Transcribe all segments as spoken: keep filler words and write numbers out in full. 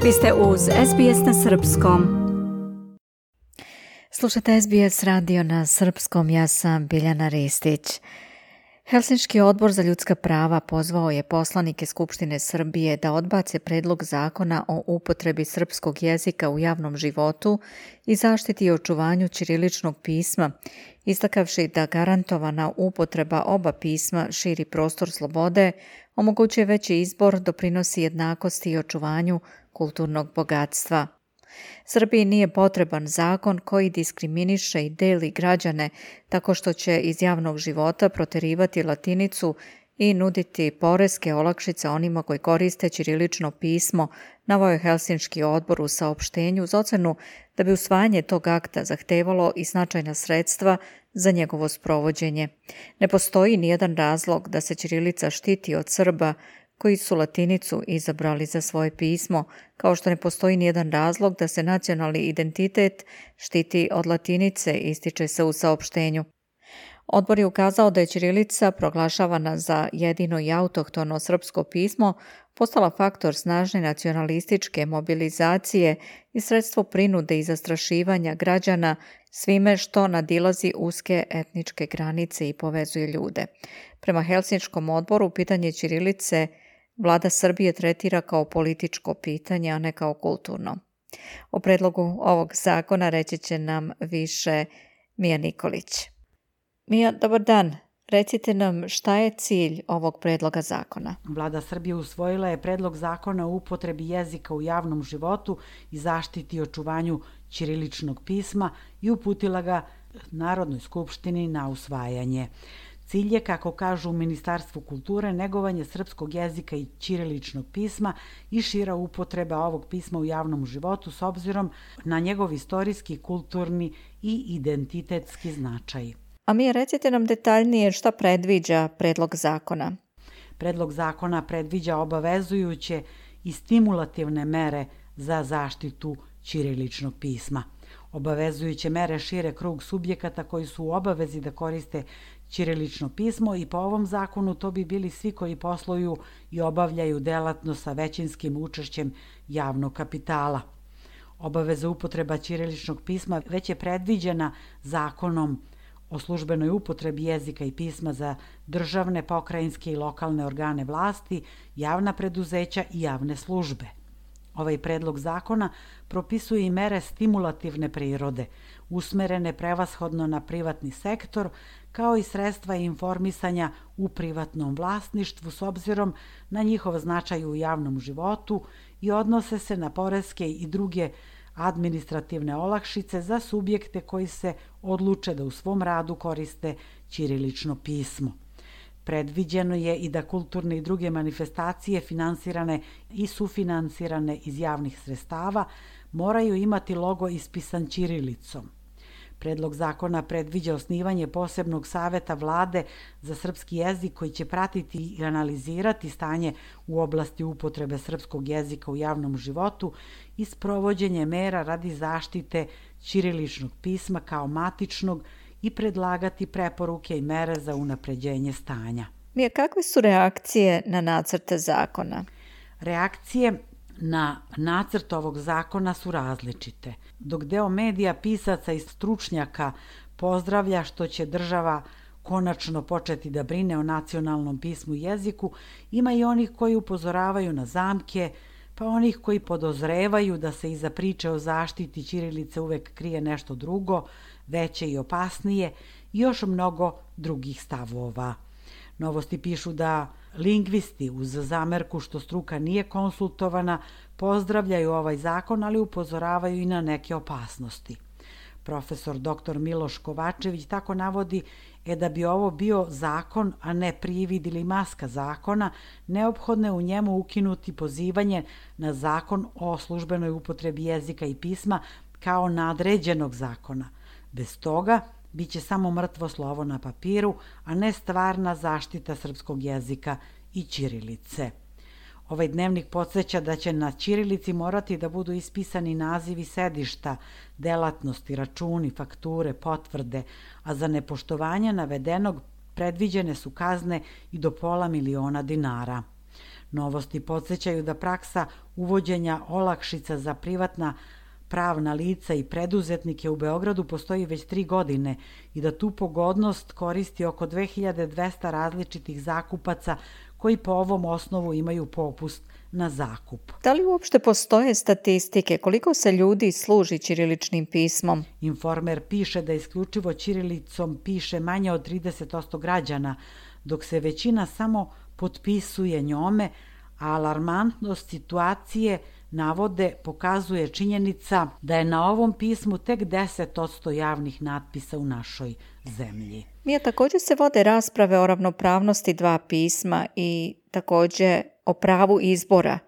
Vi ste uz S B S na srpskom. Slušate S B S radio na srpskom, ja sam Biljana Ristić. Helsinški odbor za ljudska prava pozvao je poslanike Skupštine Srbije da odbace predlog zakona o upotrebi srpskog jezika u javnom životu i zaštiti i očuvanju ćiriličnog pisma, istakavši da garantovana upotreba oba pisma širi prostor slobode, omogućuje veći izbor, doprinosi jednakosti i očuvanju kulturnog bogatstva. Srbiji nije potreban zakon koji diskriminiše i deli građane tako što će iz javnog života proterivati latinicu i nuditi poreske olakšice onima koji koriste ćirilično pismo, naveo je Helsinški odbor u saopštenju uz ocenu da bi usvajanje tog akta zahtevalo i značajna sredstva za njegovo sprovođenje. Ne postoji nijedan razlog da se ćirilica štiti od Srba koji su latinicu izabrali za svoje pismo, kao što ne postoji nijedan razlog da se nacionalni identitet štiti od latinice, ističe se u saopštenju. Odbor je ukazao da je ćirilica, proglašavana za jedino i autohtono srpsko pismo, postala faktor snažne nacionalističke mobilizacije i sredstvo prinude i zastrašivanja građana svime što nadilazi uske etničke granice i povezuje ljude. Prema Helsinškom odboru, pitanje ćirilice Vlada Srbije tretira kao političko pitanje, a ne kao kulturno. O predlogu ovog zakona reći će nam više Mija Nikolić. Mija, dobar dan. Recite nam šta je cilj ovog predloga zakona. Vlada Srbije usvojila je predlog zakona o upotrebi jezika u javnom životu i zaštiti i očuvanju ćiriličnog pisma i uputila ga Narodnoj skupštini na usvajanje. Cilj je, kako kažu u Ministarstvu kulture, negovanje srpskog jezika i ćiriličnog pisma i šira upotreba ovog pisma u javnom životu s obzirom na njegov istorijski, kulturni i identitetski značaj. A mi recite nam detaljnije šta predviđa predlog zakona. Predlog zakona predviđa obavezujuće i stimulativne mere za zaštitu ćiriličnog pisma. Obavezujuće mere šire krug subjekata koji su u obavezi da koriste ćirilično pismo i po ovom zakonu to bi bili svi koji posluju i obavljaju delatnost sa većinskim učešćem javnog kapitala. Obaveza upotreba ćiriličnog pisma već je predviđena zakonom o službenoj upotrebi jezika i pisma za državne, pokrajinske i lokalne organe vlasti, javna preduzeća i javne službe. Ovaj predlog zakona propisuje i mere stimulativne prirode, usmerene prevashodno na privatni sektor, kao i sredstva informisanja u privatnom vlasništvu s obzirom na njihov značaj u javnom životu i odnose se na poreske i druge administrativne olakšice za subjekte koji se odluče da u svom radu koriste ćirilično pismo. Predviđeno je i da kulturne i druge manifestacije finansirane i sufinansirane iz javnih sredstava moraju imati logo ispisan ćirilicom. Predlog zakona predviđa osnivanje posebnog saveta vlade za srpski jezik koji će pratiti i analizirati stanje u oblasti upotrebe srpskog jezika u javnom životu i sprovođenje mera radi zaštite ćiriličnog pisma kao matičnog i predlagati preporuke i mere za unapređenje stanja. Mija, kakve su reakcije na nacrte zakona? Reakcije na nacrt ovog zakona su različite. Dok deo medija, pisaca i stručnjaka pozdravlja što će država konačno početi da brine o nacionalnom pismu i jeziku, ima i onih koji upozoravaju na zamke, pa onih koji podozrevaju da se iza priče o zaštiti ćirilice uvek krije nešto drugo, veće i opasnije i još mnogo drugih stavova. Novosti pišu da lingvisti uz zamerku što struka nije konsultovana pozdravljaju ovaj zakon, ali upozoravaju i na neke opasnosti. Profesor doktor Miloš Kovačević tako navodi e da bi ovo bio zakon, a ne privid ili maska zakona, neophodno je u njemu ukinuti pozivanje na zakon o službenoj upotrebi jezika i pisma kao nadređenog zakona. Bez toga biće samo mrtvo slovo na papiru, a ne stvarna zaštita srpskog jezika i ćirilice. Ovaj dnevnik podsjeća da će na ćirilici morati da budu ispisani nazivi sedišta, delatnosti, računi, fakture, potvrde, a za nepoštovanje navedenog predviđene su kazne i do pola miliona dinara. Novosti podsjećaju da praksa uvođenja olakšica za privatna pravna lica i preduzetnike u Beogradu postoji već tri godine i da tu pogodnost koristi oko dve hiljade dvesta različitih zakupaca koji po ovom osnovu imaju popust na zakup. Da li uopšte postoje statistike koliko se ljudi služi ćiriličnim pismom? Informer piše da isključivo ćirilicom piše manje od trideset posto građana, dok se većina samo potpisuje njome, a alarmantnost situacije navode pokazuje činjenica da je na ovom pismu tek deset posto javnih natpisa u našoj zemlji. Mija, također se vode rasprave o ravnopravnosti dva pisma i također o pravu izbora.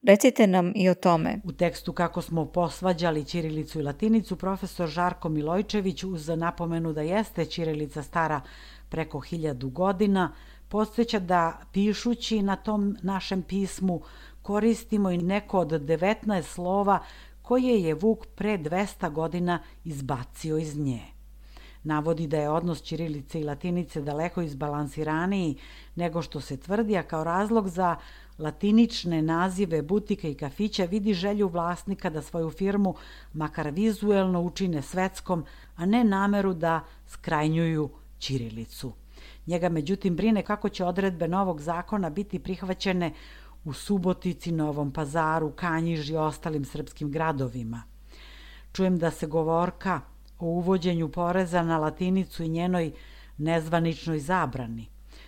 Recite nam i o tome. U tekstu Kako smo posvađali ćirilicu i latinicu, profesor Žarko Milojčević, uz napomenu da jeste ćirilica stara preko hiljadu godina, podsjeća da pišući na tom našem pismu koristimo i neko od devetnaest slova koje je Vuk pre dvesta godina izbacio iz nje. Navodi da je odnos ćirilice i latinice daleko izbalansiraniji nego što se tvrdi, a kao razlog za latinične nazive butika i kafića vidi želju vlasnika da svoju firmu makar vizuelno učine svetskom, a ne nameru da skrajnjuju ćirilicu. Njega međutim brine kako će odredbe novog zakona biti prihvaćene u Subotici, Novom Pazaru, Kanjiži i ostalim srpskim gradovima. Čujem da se govorka o uvođenju poreza na latinicu i njenoj nezvaničnoj zabrani.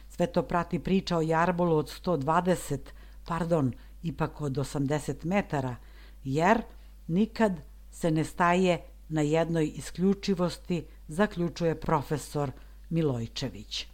Sve to prati priča o jarbolu od sto dvadeset, pardon, ipak od osamdeset metara, jer nikad se ne staje na jednoj isključivosti, zaključuje profesor Milojčević.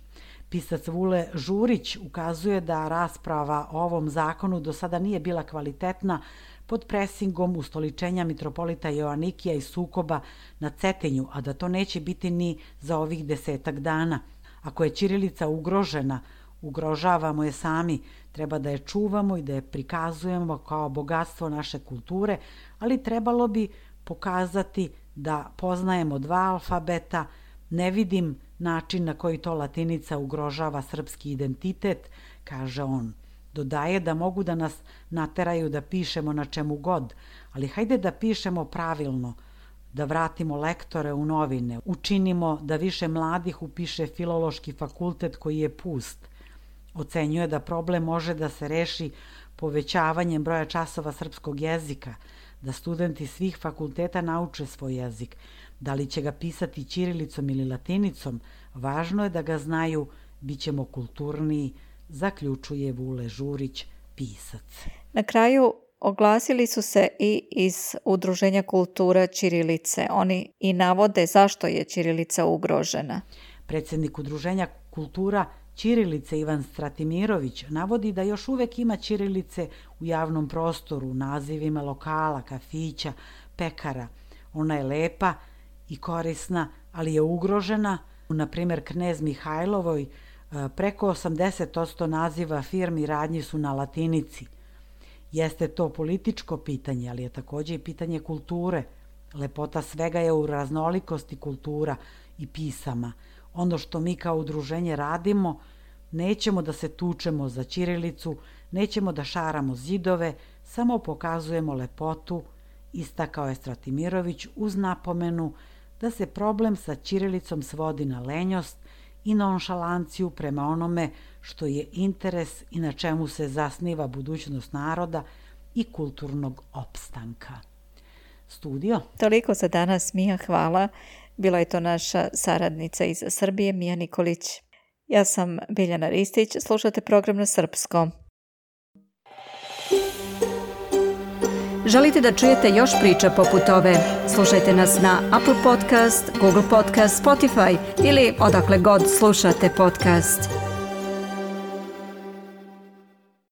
Pisac Vule Žurić ukazuje da rasprava o ovom zakonu do sada nije bila kvalitetna pod presingom ustoličenja mitropolita Joanikija i sukoba na Cetinju, a da to neće biti ni za ovih desetak dana. Ako je ćirilica ugrožena, ugrožavamo je sami, treba da je čuvamo i da je prikazujemo kao bogatstvo naše kulture, ali trebalo bi pokazati da poznajemo dva alfabeta. Ne vidim način na koji to latinica ugrožava srpski identitet, kaže on. Dodaje da mogu da nas nateraju da pišemo na čemu god, ali hajde da pišemo pravilno, da vratimo lektore u novine, učinimo da više mladih upiše filološki fakultet koji je pust. Ocenjuje da problem može da se reši povećavanjem broja časova srpskog jezika, da studenti svih fakulteta nauče svoj jezik. Da li će ga pisati ćirilicom ili latinicom, važno je da ga znaju, bit ćemo kulturniji, zaključuje Vule Žurić, pisac. Na kraju oglasili su se i iz Udruženja kultura ćirilice. Oni i navode zašto je ćirilica ugrožena. Predsjednik Udruženja kultura ćirilice Ivan Stratimirović navodi da još uvek ima ćirilice u javnom prostoru, nazivima lokala, kafića, pekara. Ona je lepa i korisna, ali je ugrožena. Na primjer, Knez Mihajlovoj preko osamdeset posto naziva firmi i radnji su na latinici. Jeste to političko pitanje, ali je također i pitanje kulture. Lepota svega je u raznolikosti kultura i pisama. Ono što mi kao udruženje radimo, nećemo da se tučemo za ćirilicu, nećemo da šaramo zidove, samo pokazujemo lepotu, istakao je Stratimirović uz napomenu da se problem sa ćirilicom svodi na lenjost i nonšalanciju prema onome što je interes i na čemu se zasniva budućnost naroda i kulturnog opstanka. Studio. Toliko za danas, Mija, hvala. Bila je to naša saradnica iz Srbije, Mija Nikolić. Ja sam Biljana Ristić, slušate program na srpskom. Želite da čujete još priča poput ove? Slušajte nas na Apple Podcast, Google Podcast, Spotify ili odakle god slušate podcast.